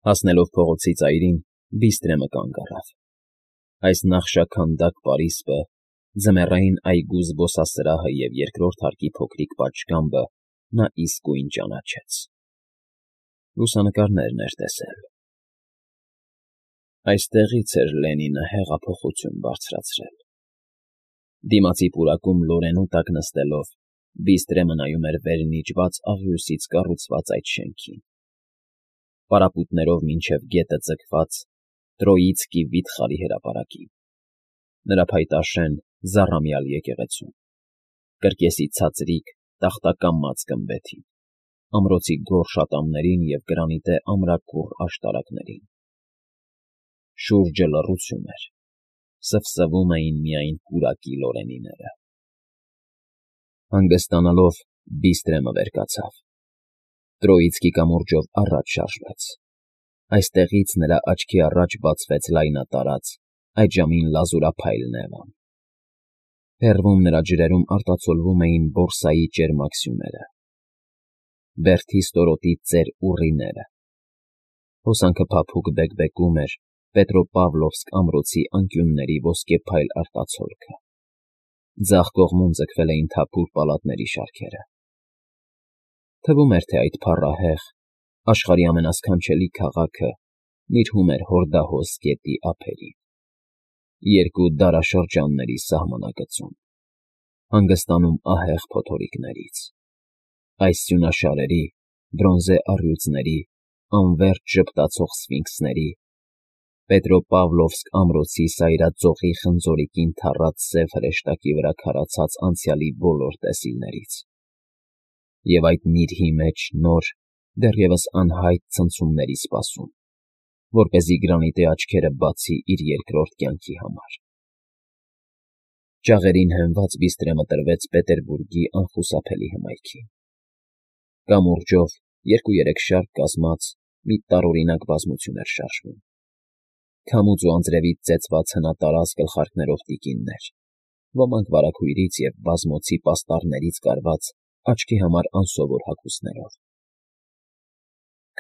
Հասնելով փողոցի ծայրին, Բիստրեմը կանգ առավ։ Այս նախշաքանդակ պարիսպը, ձմեռային այգու զբոսասրահը և երկրորդ հարկի փոքրիկ պատշգամբը նա իսկույն ճանաչեց. լուսանկարներն էր տեսել։ Այստեղից էր Լենինը հեղափոխություն բարձրացրել։ Դիմացի պուրակում Լորենու տակ նստելով, Բիստրեմը նայում էր վերնիճված աղյուսից կառուցված այդ շենքին։ Պարապույտներով մինչև գետը ձգված Տրոիցկի վիթխարի հրապարակին, նրա փայտաշեն զառամյալ եկեղեցուն, կրկեսի ցածրիկ տախտակամած գմբեթին, ամրոցի գորշ ատամներին և գրանիտե ամրաքուռ աշտարակներին։ Շուրջը լռություն էր, սվսվում էին միայն պուրակի լորենիները։ Հանգստանալով Բիստրեմը վեր կացավ։ Տրոիցկի կամուրջով առաջ շարժվեց։ Այստեղից նրա աչքի առաջ բացվեց լայնատարած, այդ ժամին լազուրափայլ Նևան։ Հեռվում նրա ջրերում արտացոլվում էին Բորսայի ճերմակ սյուները, Բերդի ստորոտի ծեր ուռիները։ Հոսանքը փափուկ բեկբեկում էր Պետրոպավլովսկ ամրոցի անկյունների ոսկեփայլ արտացոլքը։ Ձախ կողմում ձգվել էին թափուր պալատների շարքերը։ Թվում էր, թե այդ փառահեղ, աշխարհի ամենասքանչելի քաղաքը նիրհում էր հորդահոս գետի ափերին, երկու դարաշրջանների սահմանակցում, հանգստանում ահեղ փոթորիկներից, այս սյունաշարերի, բրոնզե առյուծների, անվերջ ժպտացող սֆինքսների, Պետրոպավլովսկ ամրոցի սայրածոխի խնձորիկին թառած սև հրեշտակի վրա քարացած անցյալի բոլոր տեսիլներից, և այդ նիրհի մեջ նոր, դեռևս անհայտ ցնցումների սպասում, որպեսզի գրանիտե աչքերը բացի իր երկրորդ կյանքի համար։ Ճաղերին հենված Բիստրեմը տրվեց Պետերբուրգի անխուսափելի հմայքին։ Կամուրջով 2-3 շարք կազմած մի տարօրինակ բազմություն էր շարժվում։ Քամուց ու անձրևից ծեծված հնատարած գլխարկներով տիկիններ, ոմանք վարագույրից և բազմոցի պաստառներից կարված աչքի համար անսովոր հագուստներով։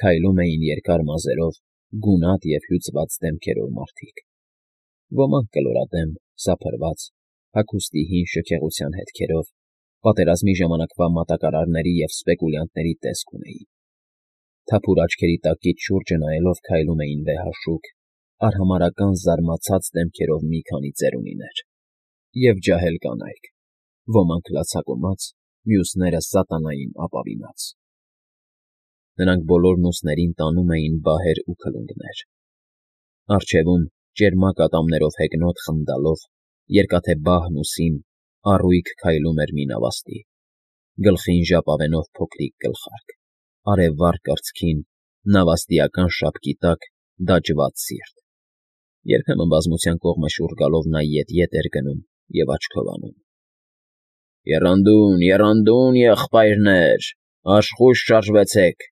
Քայլում էին երկար մազերով, գունատ և հյուծված դեմքերով մարդիկ, ոմանք կլորադեմ, սափրված, հագուստի հին շքեղության հետքերով, պատերազմի ժամանակվա մատակարարների և սպեկուլյանտների տեսք ունեին։ Թափուր աչքերի տակից շուրջը նայելով քայլում էին վեհաշուք, արհամարհական զարմացած դեմքերով մի քանի ծերունիներ և ջահել կանայք, ոմանք լացակումած, մյուսները սատանային ապավինած։ Նրանք բոլորն ուսներին տանում էին բահեր ու քլունգներ։ Առջևում, ճերմակ ատամներով հեգնոտ խնդալով, երկաթե բահն ուսին, առույգ քայլում էր մի նավաստի, գլխին ժապավենով փոքրիկ գլխարկ, արևվառ կրծքին, նավաստիական շապկի տակ դաջված սիրտ։ Երբեմն բազմության կողմը շուռ գալով նա ետ էր գնում և աչքով անում. «Եռանդուն, եռանդուն, եղբայրներ, աշխույժ շարժվեցեք,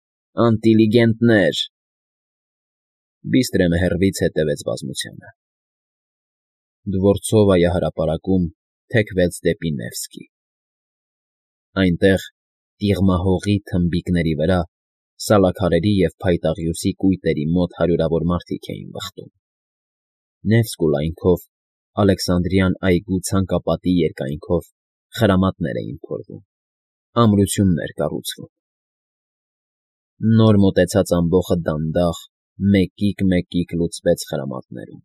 անտիլիգենտներ»։ Բիստրեմը հեռվից հետևեց բազմությանը։ Դվորցովայա հրապարակում թեքվեց դեպի Նևսկի։ Այնտեղ, տիղմահողի թմբիկների վրա, սալաքարերի և փայտաղյուսի կույտերի մոտ հարյուրավոր մարդիկ էին վխտում։ Նևսկու լայնքով, Ալեքսանդրյան այգու ցանկապատի երկայնքով խրամատներ էին փորվում, ամրություններ կառուցվում։ Նոր մոտեցած ամբոխը դանդաղ, մեկիկ լուծվեց խրամատներում։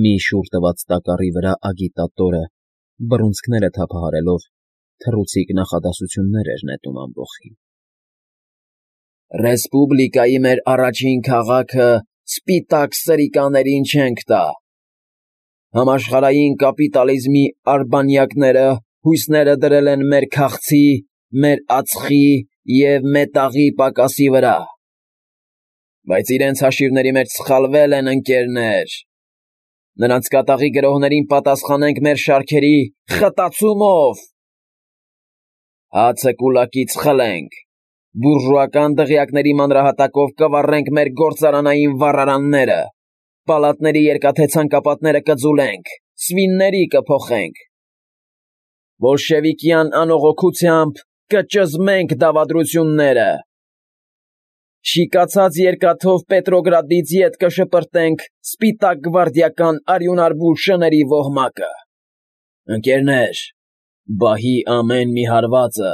Մի շուռ տված տակառի վրա ագիտատորը, բռունցքները թափահարելով, թռուցիկ նախադասություններ էր նետում ամբոխին։ «Ռեսպուբլիկայի մեր առաջին քաղաքը սպիտակ սրիկաներին չենք տա։ Համաշխարհային կապիտալիզմի արբանյակները հույսները դրել են մեր քաղցի, մեր ածխի և մետաղի պակասի վրա։ Բայց իրենց հաշիվների մեջ սխալվել են, ընկերներ։ Նրանց կատաղի գրոհներին պատասխանենք մեր շարքերի խտացումով։ Հացը կուլակից խլենք, բուրժուական դղյակների մանրահատակով կվառենք մեր գործարանային վառարանները, պալատների երկաթե ցանկապատները կձուլենք, սվինների կփոխենք։ Բոլշևիկյան անողոքությամբ կճզմենք դավադրությունները։ Շիկացած երկաթով Պետրոգրադից ետ կշպրտենք սպիտակ գվարդիական արյունարբու շների ոհմակը։ Ընկերներ, բահի ամեն մի հարվածը,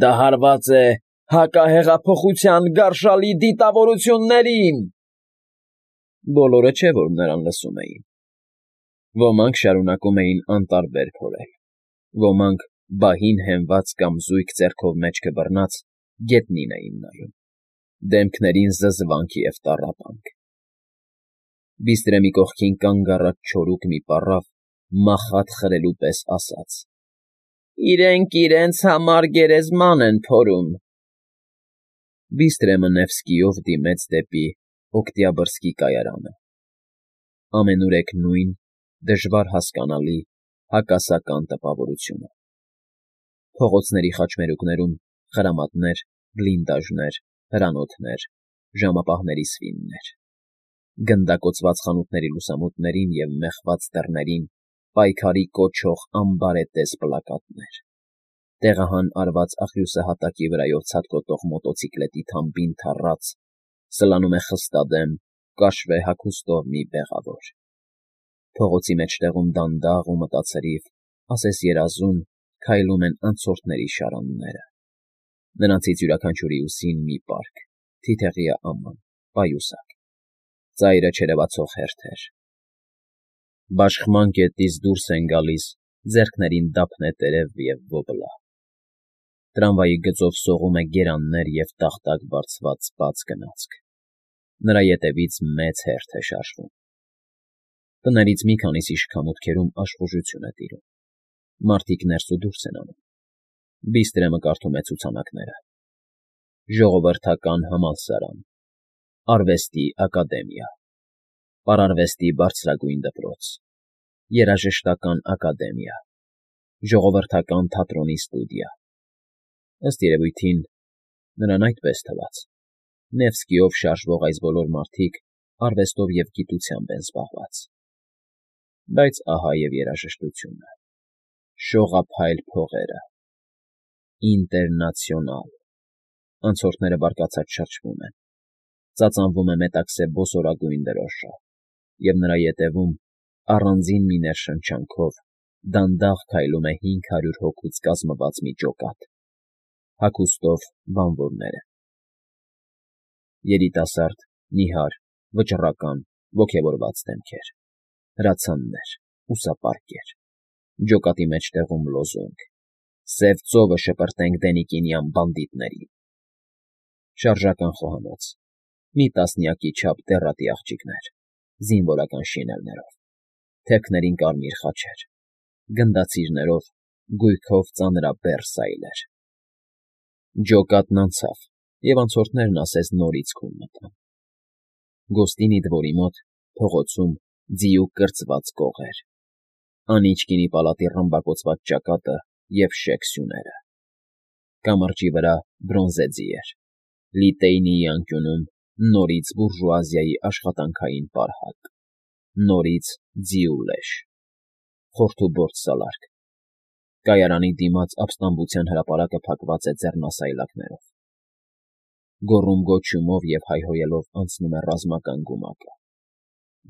դա հարված է հակահեղափոխության գարշալի դիտավորություններին։ Բոլորը չէ, որ նրան լսում էին։ Ոմանք շարունակում էին անտարբեր փորել, ոմանք բահին հենված կամ զույգ ձեռքով մեջքը բռնած գետնին էին նայում, դեմքներին զզվանք և տառապանք։ Բիստրեմի կողքին կանգ առած չորուկ մի պառավ մախատ խրելու պես ասաց. «Իրենք իրենց համար գերեզման են փորում»։ Բիստրեմը Նևսկիով դիմեց դեպի Օկտյաբրսկի կայարանը։ Ամենուրեք նույն, դժվար հասկանալի, հակասական տպավորությունը։ Փողոցների խաչմերուկներում խրամատներ, բլինդաժներ, հրանոթներ, ժամապահների սվիններ։ Գնդակոծված խանութների լուսամուտներին և մեխված դռներին պայքարի կոչող ամբարետես պլակատներ։ Տեղահան արված աղյուսահատակի վրայով ցատկոտող մոտոցիկլետի թամբին թառած, սլանում է խստադեմ, կաշվե հագուստով մի բեղավոր։ Փողոցի մեջտեղում դանդաղ ու մտացրիվ, ասես երազում, քայլում են անցորդների շարանները։ Նրանցից յուրաքանչյուրի ուսին մի պարկ, թիթեղյա աման, պայուսակ, ծայրը չերևացող հերթեր։ Բաշխման կետից դուրս են գալիս ձեռքներին դափնետերև և ոբլա։ Տրամվայի գծով սողում է գերաններ և տախտակ բարձված բաց գնացք։ Նրա ետևից մեծ հերթ է շարժվում։ Տներից մի քանիսի շքամուտքերում աշխուժություն է տիրում։ Մարդիկ ներս ու դուրս են անում։ Բիստրեմը կարդում է ցուցանակները։ Ժողովրդական համալսարան, Արվեստի ակադեմիա, Պարարվեստի բարձրագույն դպրոց, Երաժշտական ակադեմիա, Ժողովրդական թատրոնի ստուդիա։ Ըստ երևույթին, նրան այդպես թվաց։ Նևսկիով շարժվող այս բոլոր մարդիկ արվեստով և գիտությամբ են զբաղված։ Բայց ահա և երաժշտությունը, շողափայլ փողերը, Ինտերնացիոնալ։ Անցորդները բարկացած շրջվում են։ Ծածանվում է մետաքսե բոսորագույն դրոշը, և նրա ետևում, առանձին մի ներշնչանքով, դանդաղ քայլում է 500 հոգուց կազմված մի ջոկատ, հագուստով բանվորները։ Երիտասարդ, նիհար, վճռական, ոգևորված դեմքեր, հրացաններ, ուսապարկեր, ջոկատի մեջտեղում լոզունգ. «Սև ծովը շպրտենք Դենիկինյան բանդիտներին»։ Շարժական խոհանոց, մի տասնյակի չափ դեռատի աղջիկներ, զինվորական շինելներով, թևքներին կարմիր խաչեր, գնդացիրներով, գույքով ծանրաբեռ սայլեր։ Ջոկատն անցավ, և անցորդներն ասես նորից քուն մտան։ Գոստինի դվորի մոտ, փողոցում, ձիուկ կրծված կողեր, Անիչկինի պալատի ռմբակոծված ճակատը և շեք սյուները։ Կամրջի վրա բրոնզե ձիեր, Լիտեյնիի անկյունում նորից բուրժուազիայի աշխատանքային պարհակ, նորից ձիու լեշ, խորթուբորդ սալարկը։ Կայարանի դիմաց ապստամբության հրապարակը փակված է ձեռնասայլակներով։ Գոռում֊գոչյունով և հայհոյելով անցնում է ռազմական գումակը։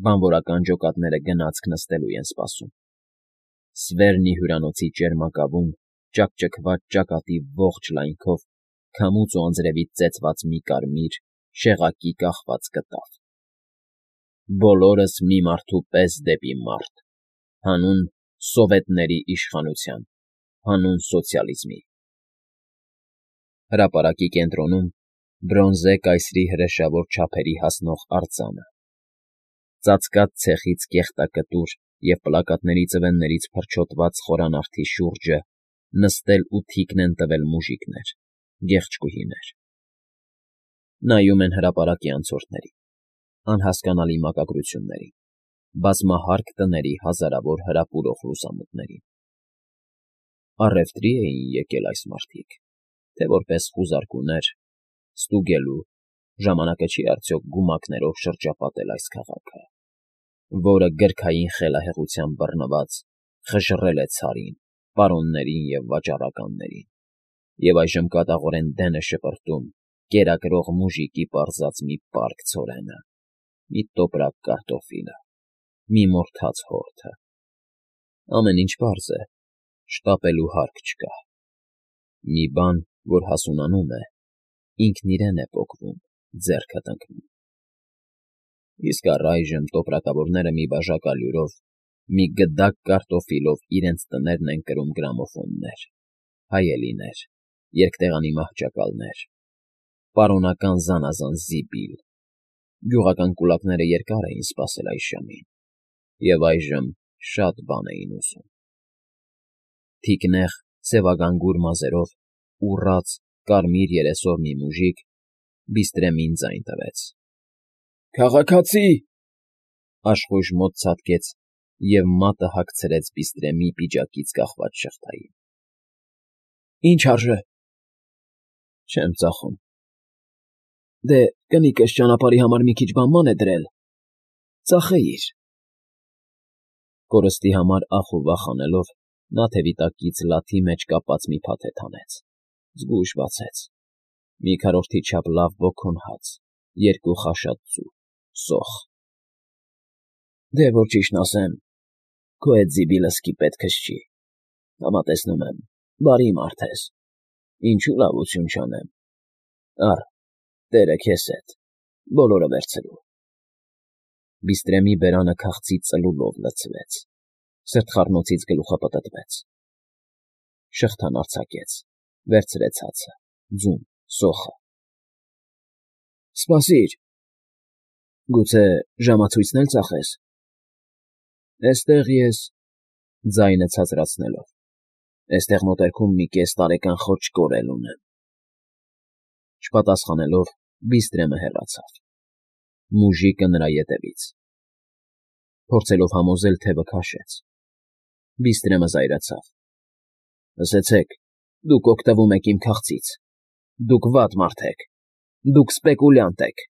Բանվորական ջոկատները գնացք նստելու են սպասում։ Սվերնի հյուրանոցի ճերմակավում ճաքճքված ճակատի ողջ լայնքով քամուց ու անձրևից ծեծված մի կարմիր, շեղակի կախված կտավ։ Բոլորս մի մարդու պես դեպի մարդ, հանուն սովետների իշխանության, հանուն սոցիալիզմի։ Հրապարակի կենտրոնում բրոնզե կայսրի հրեշավոր չափերի հասնող արձանը։ Ծածկած ցեխից կեղտակտուր և պլակատների ծվեններից փրչոտված խորանարդի շուրջը նստել ու թիկն են տվել մուժիկներ, գեղեցկուհիներ։ Նայում են հրապարակի անցորդներին, անհասկանալի մակագրություններին, բազմահարկ տների հազարավոր հրապուրող լուսամուտներին։ Առևտրի էին եկել այս մարդիկ, թե որպես խուզարկուներ, ստուգելու, ժամանակը չի արդյոք գումակներով շրջապատել այս քաղաքը, որը գրքային խելահեղությամբ բռնված խժռել է ցարին, պարոններին և վաճառականներին, և այժմ կատաղորեն դեն է շպրտում կերակրող մուժիկի պարզած մի պարկ ցորենը, մի տոպրակ կարտոֆիլը, մի մորթած հորթը։ Ամեն ինչ պարզ է, շտապելու հարկ չկա։ Մի բան, որ հասունանում է, ինքն իրեն է պոկվում, ձեռքդ ընկնում։ Իսկ առայժմ տոպրակավորները մի բաժակ ալյուրով, մի գդակ կարտոֆիլով իրենց տներն են կրում գրամոֆոններ, հայելիներ, երկտեղանի մահճակալներ, պարոնական զանազան զիբիլ, գյուղական կուլակները երկար էին սպասել այս ժամին, և այժմ շատ բան էին ուզում։ Թիկնեղ, սևագանգուր մազերով, ուռած, կարմիր երեսով մի մուժիկ Բիստրեմին ձայն տվեց. «Քաղաքացի»։ Աշխույժ մոտ ցատկեց և մատը հագցրեց Բիստրեմի պիջակից կախված շղթային։ «Ի՞նչ արժե»։ «Չեմ ծախում»։ «Դե, կնիկս ճանապարհի համար մի քիչ բան է դրել, ծախեիր»։ Կորստի համար ախ ու վախ անելով, նա թևի տակից լաթի մեջ կապած մի փաթեթ հանեց, զգույշ բացեց. մի քառորդի չափ լավ բոքուն հաց, երկու խաշած ձու, սոխ։ «Դե, որ ճիշտն ասեմ, քո էդ զիբիլը սկի պետքս չի, համատեսնում եմ, բարի մարդ ես, ինչու լավություն չանեմ։ Առ, տերը քեզ հետ, բոլորը վերցրու»։ Բիստրեմի բերանը քաղցի ծլուլով լցվեց, սրտխառնոցից գլուխը պտտվեց։ Շղթան արձակեց, վերցրեց հացը, ձուն, սոխը։ «Սպասիր, գուցե ժամացույցն էլ ծախես»։ «Էստեղ ես», ձայնը ցածրացնելով, «էստեղ մոտերքում մի կես տարեկան խոճ կորել ունեմ»։ Չպատասխանելով, Բիստրեմը հեռացավ։ Մուժիկը նրա ետևից։ Փորձելով համոզել, թևը քաշեց։ Բիստրեմը զայրացավ. «Լսեցեք, դուք օգտվում եք իմ քաղցից, դուք վատ մարդ եք, դուք սպեկուլյանտ եք»։